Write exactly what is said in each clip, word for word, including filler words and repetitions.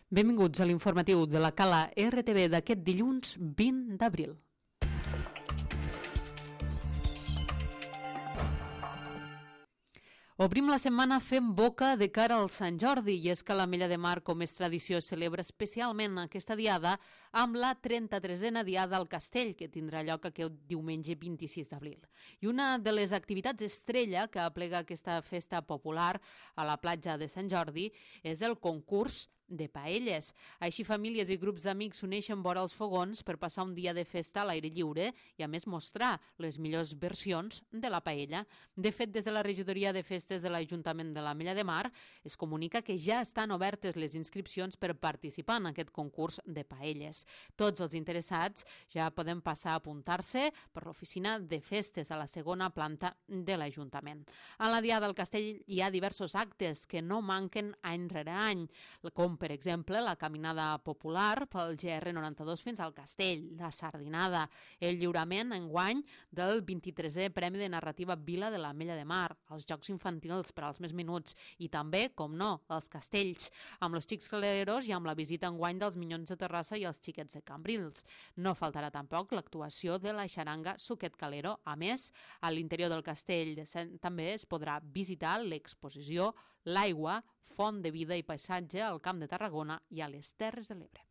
Benvinguts a l'informatiu de la Cala R T V d'aquest dilluns vint d'abril. Obrim la setmana fent boca de cara al Sant Jordi i és que l'Ametlla de Mar, com és tradició, celebra especialment aquesta diada amb la trenta-tresena diada al Castell, que tindrà lloc aquest diumenge vint-i-sis d'abril. I una de les activitats estrella que aplega aquesta festa popular a la platja de Sant Jordi és el concurs de paelles. Així famílies i grups d'amics s'uneixen vora els fogons per passar un dia de festa a l'aire lliure i a més mostrar les millors versions de la paella. De fet, des de la regidoria de festes de l'Ajuntament de l'Ametlla de Mar es comunica que ja estan obertes les inscripcions per participar en aquest concurs de paelles. Tots els interessats ja poden passar a apuntar-se per l'oficina de festes a la segona planta de l'Ajuntament. A la Diada del Castell hi ha diversos actes que no manquen any rere any, com per exemple, la caminada popular pel G R noranta-dos fins al Castell, la sardinada, el lliurament enguany del vint-i-tresè Premi de Narrativa Vila de l'Ametlla de Mar, els jocs infantils per als més menuts i també, com no, els castells, amb els xics caleros i amb la visita enguany dels Minyons de Terrassa i els xiquets de Cambrils. No faltarà tampoc l'actuació de la xaranga Suquet Calero. A més, a l'interior del castell també es podrà visitar l'exposició L'aigua, font de vida i paisatge al Camp de Tarragona i a les Terres de l'Ebre.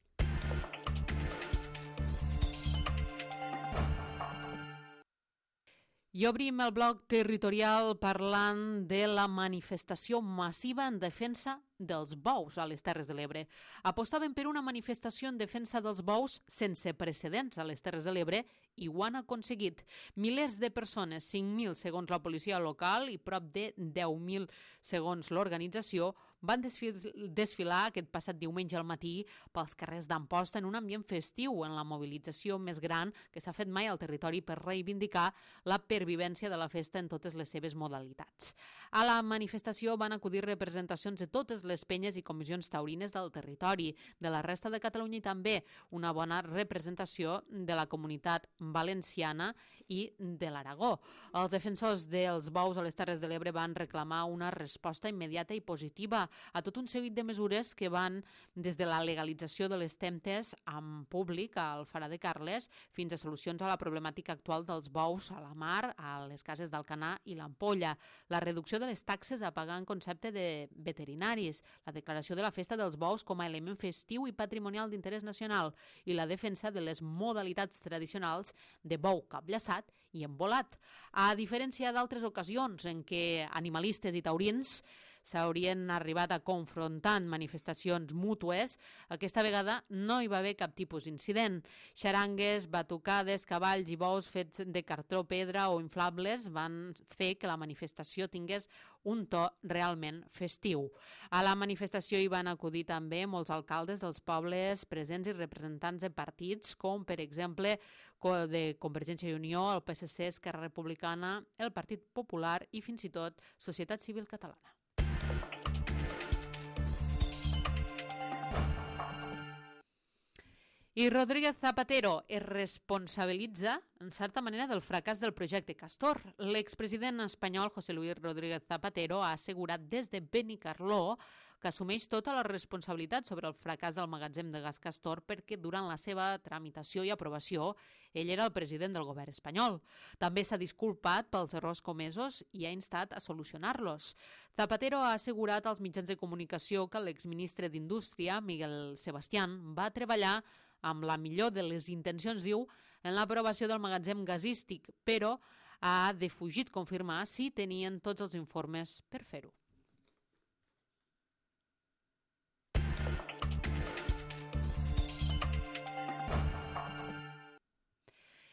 I obrim el bloc territorial parlant de la manifestació massiva en defensa dels bous a les Terres de l'Ebre. Apostaven per una manifestació en defensa dels bous sense precedents a les Terres de l'Ebre i ho han aconseguit. Milers de persones, cinc mil segons la policia local i prop de deu mil segons l'organització, van desfilar aquest passat diumenge al matí pels carrers d'Amposta en un ambient festiu, en la mobilització més gran que s'ha fet mai al territori per reivindicar la pervivència de la festa en totes les seves modalitats. A la manifestació van acudir representacions de totes les penyes i comissions taurines del territori, de la resta de Catalunya i també una bona representació de la comunitat valenciana i de l'Aragó. Els defensors dels bous a les Terres de l'Ebre van reclamar una resposta immediata i positiva a tot un seguit de mesures que van des de la legalització de les temptes en públic al Farà de Carles fins a solucions a la problemàtica actual dels bous a la mar, a les cases d'Alcanar i l'Ampolla, la reducció de les taxes a pagar en concepte de veterinaris, la declaració de la festa dels bous com a element festiu i patrimonial d'interès nacional i la defensa de les modalitats tradicionals de bou capllaçat i embolat. A diferència d'altres ocasions en què animalistes i taurins s'haurien arribat a confrontar en manifestacions mútues, aquesta vegada no hi va haver cap tipus d'incident. Xarangues, batucades, cavalls i bous fets de cartró, pedra o inflables van fer que la manifestació tingués un to realment festiu. A la manifestació hi van acudir també molts alcaldes dels pobles presents i representants de partits, com per exemple de Convergència i Unió, el P S C, Esquerra Republicana, el Partit Popular i fins i tot Societat Civil Catalana. I Rodríguez Zapatero es responsabilitza, en certa manera, del fracàs del projecte Castor. L'expresident espanyol José Luis Rodríguez Zapatero ha assegurat des de Benicarló que assumeix tota la responsabilitat sobre el fracàs del magatzem de gas Castor perquè durant la seva tramitació i aprovació ell era el president del govern espanyol. També s'ha disculpat pels errors comesos i ha instat a solucionar-los. Zapatero ha assegurat als mitjans de comunicació que l'exministre d'Indústria, Miguel Sebastián, va treballar amb la millor de les intencions, diu, en l'aprovació del magatzem gasístic, però ha defugit confirmar si tenien tots els informes per fer-ho.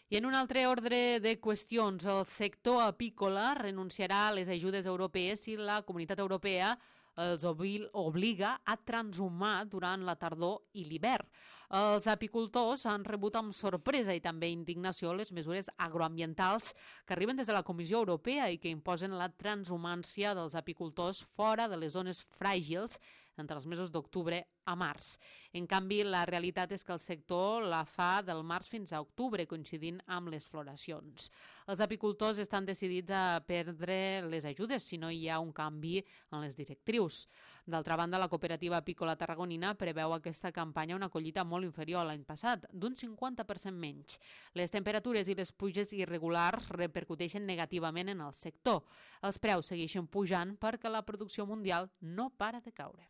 I en un altre ordre de qüestions, el sector apícola renunciarà a les ajudes europees si la Comunitat Europea els obliga a transhumar durant la tardor i l'hivern. Els apicultors han rebut amb sorpresa i també indignació les mesures agroambientals que arriben des de la Comissió Europea i que imposen la transhumància dels apicultors fora de les zones fràgils entre els mesos d'octubre a març. En canvi, la realitat és que el sector la fa del març fins a octubre, coincidint amb les floracions. Els apicultors estan decidits a perdre les ajudes si no hi ha un canvi en les directrius. D'altra banda, la cooperativa apícola tarragonina preveu aquesta campanya una collita molt inferior a l'any passat, d'un cinquanta per cent menys. Les temperatures i les pluges irregulars repercuteixen negativament en el sector. Els preus segueixen pujant perquè la producció mundial no para de caure.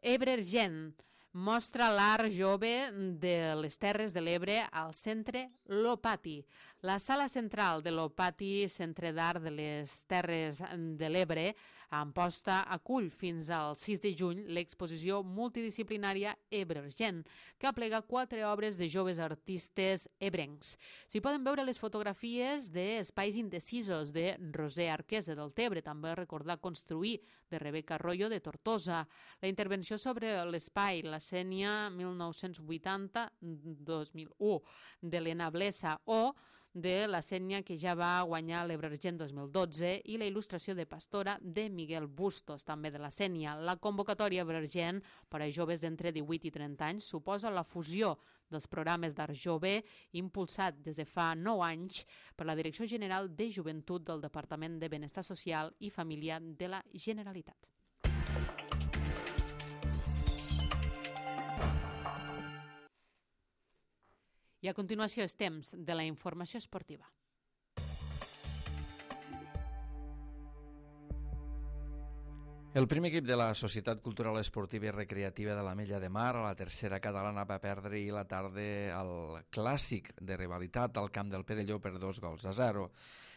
Ebre-Argent mostra l'art jove de les Terres de l'Ebre al Centre Lopati. La sala central de l'Opati, Centre d'Art de les Terres de l'Ebre, a Amposta, acull fins al sis de juny l'exposició multidisciplinària Ebre-Argent, que aplega quatre obres de joves artistes ebrencs. S'hi poden veure les fotografies d'Espais indecisos de Roser Arquesa del Tebre, també recordar construir de Rebeca Arroyo de Tortosa, la intervenció sobre l'espai, la Sénia mil nou-cents vuitanta dos mil u d'Helena Blesa o de la Sénia que ja va guanyar l'Ebre-Argent dos mil dotze i la il·lustració de Pastora de Miguel Bustos, també de la Sénia. La convocatòria Ebre-Argent per a joves d'entre divuit i trenta anys suposa la fusió dels programes d'art jove impulsat des de fa nou anys per la Direcció General de Joventut del Departament de Benestar Social i Família de la Generalitat. I a continuació és temps de la informació esportiva. El primer equip de la Societat Cultural Esportiva i Recreativa de l'Ametlla de Mar, a la tercera catalana, va perdre ahir la tarda el clàssic de rivalitat al camp del Perelló per dos gols a zero.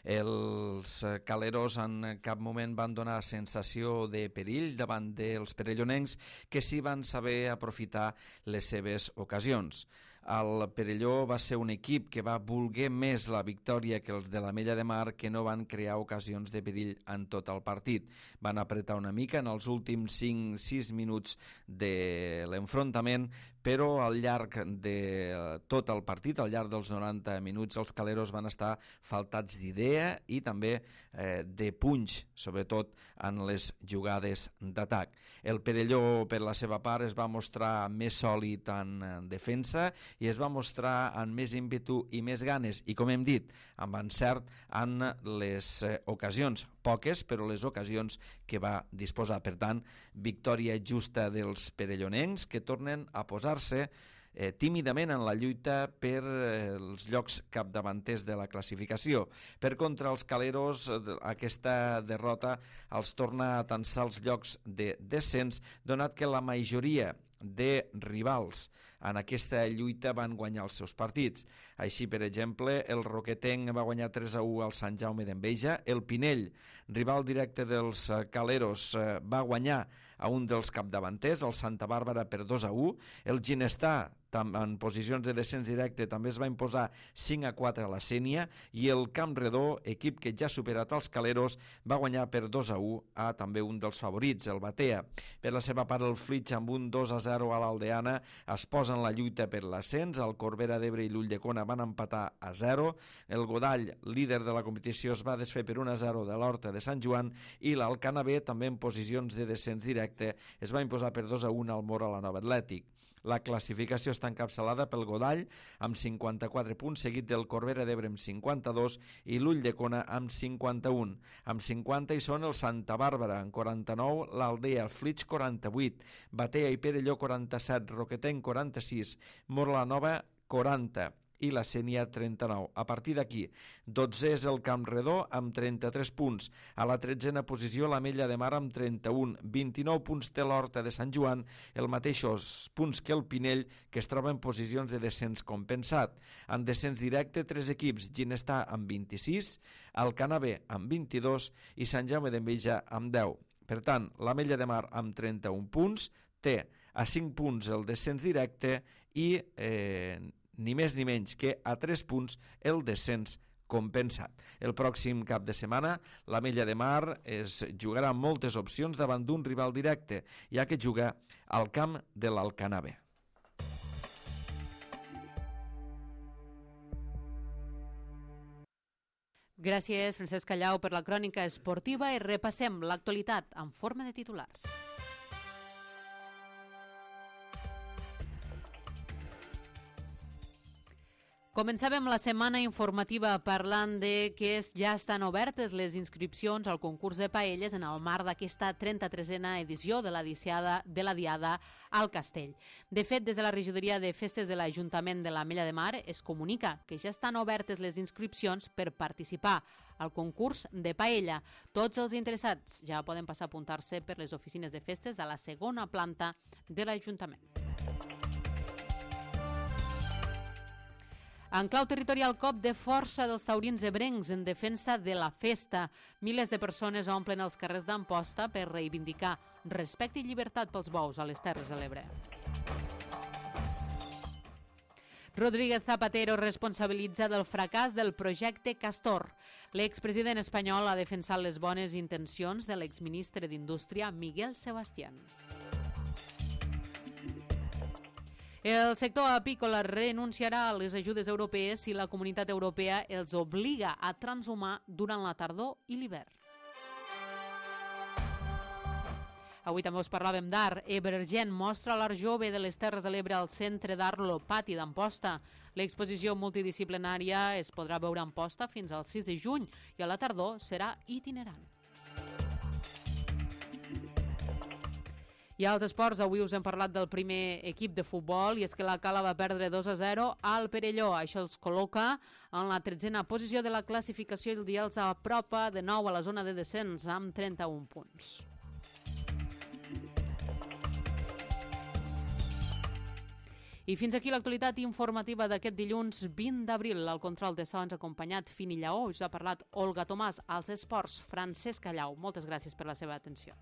Els caleros en cap moment van donar sensació de perill davant dels perellonencs, que sí van saber aprofitar les seves ocasions. El Perelló va ser un equip que va voler més la victòria que els de l'Ametlla de Mar, que no van crear ocasions de perill en tot el partit. Van apretar una mica en els últims cinc sis minuts de l'enfrontament, però al llarg de tot el partit, al llarg dels noranta minuts, els caleros van estar faltats d'idea i també eh, de punys, sobretot en les jugades d'atac. El Perelló, per la seva part, es va mostrar més sòlid en defensa i es va mostrar amb més ímpetu i més ganes i, com hem dit, amb encert en les eh, ocasions, poques, però les ocasions que va disposar. Per tant, victòria justa dels perellonencs, que tornen a posar-se eh, tímidament en la lluita per eh, els llocs capdavanters de la classificació. Per contra, els caleros, aquesta derrota els torna a tensar els llocs de descens, donat que la majoria de rivals en aquesta lluita van guanyar els seus partits. Així, per exemple, el Roquetenc va guanyar tres a u al Sant Jaume d'Enveja, el Pinell, rival directe dels caleros, va guanyar a un dels capdavanters, el Santa Bàrbara, per dos a u, el Ginestà, en posicions de descens directe, també es va imposar cinc a quatre a la Sénia, i el Camp Redó, equip que ja ha superat els caleros, va guanyar per dos a u a també un dels favorits, el Batea. Per la seva part, el Flix, amb un dos a zero a l'Aldeana, es posa en la lluita per l'ascens. El Corbera d'Ebre i l'Ulldecona van empatar a zero. El Godall, líder de la competició, es va desfer per un a zero de l'Horta de Sant Joan, i l'Alcanavè, també en posicions de descens directe, es va imposar per dos a u al Mora la Nova Atlètic. La classificació està encapçalada pel Godall amb cinquanta-quatre punts, seguit del Corbera d'Ebre amb cinquanta-dos i l'Ulldecona amb cinquanta-un. Amb cinquanta hi són el Santa Bàrbara, amb quaranta-nou, l'Aldea, Flix quaranta-vuit, Batea i Perelló quaranta-set, Roquetenc quaranta-sis, Mora la Nova quaranta i la Sénia trenta-nou. A partir d'aquí, dotzè és el Camp Redó amb trenta-tres punts. A la tretzena posició l'Ametlla de Mar amb trenta-un. vint-i-nou punts té l'Horta de Sant Joan, el mateixos punts que el Pinell, que es troba en posicions de descens compensat. En descens directe, tres equips, Ginestà amb vint-i-sis, Alcanavè amb vint-i-dos i Sant Jaume d'Enveja amb deu. Per tant, l'Ametlla de Mar amb trenta-un punts té a cinc punts el descens directe i eh, ni més ni menys que a tres punts el descens compensat. El pròxim cap de setmana l'Ametlla de Mar es jugarà amb moltes opcions davant d'un rival directe, ja que juga al camp de l'Alcanavè. Gràcies, Francesc Callau, per la crònica esportiva i repassem l'actualitat en forma de titulars. Començàvem la setmana informativa parlant de que ja estan obertes les inscripcions al concurs de paelles en el marc d'aquesta trenta-tresena edició de la, Diada, de la Diada al Castell. De fet, des de la regidoria de festes de l'Ajuntament de l'Ametlla de Mar es comunica que ja estan obertes les inscripcions per participar al concurs de paella. Tots els interessats ja poden passar a apuntar-se per les oficines de festes de la segona planta de l'Ajuntament. En clau territorial, cop de força dels taurins ebrencs en defensa de la festa. Milers de persones omplen els carrers d'Amposta per reivindicar respecte i llibertat pels bous a les Terres de l'Ebre. Rodríguez Zapatero responsabilitza del fracàs del projecte Castor. L'expresident espanyol ha defensat les bones intencions de l'exministre d'Indústria, Miguel Sebastián. El sector apícola renunciarà a les ajudes europees si la Comunitat Europea els obliga a transhumar durant la tardor i l'hivern. Avui també us parlàvem d'art. Evergent mostra l'art jove de les Terres de l'Ebre al Centre d'Art Lopati d'Amposta. L'exposició multidisciplinària es podrà veure a Amposta fins al sis de juny i a la tardor serà itinerant. I als esports, avui us hem parlat del primer equip de futbol i és que la Cala va perdre dos a zero al Perelló. Això els col·loca en la tretzena posició de la classificació i el dia els apropa de nou a la zona de descens amb trenta-un punts. I fins aquí l'actualitat informativa d'aquest dilluns vint d'abril. Al control de so ens ha acompanyat Fini Lleó, us ha parlat Olga Tomàs, als esports Francesc Callau. Moltes gràcies per la seva atenció.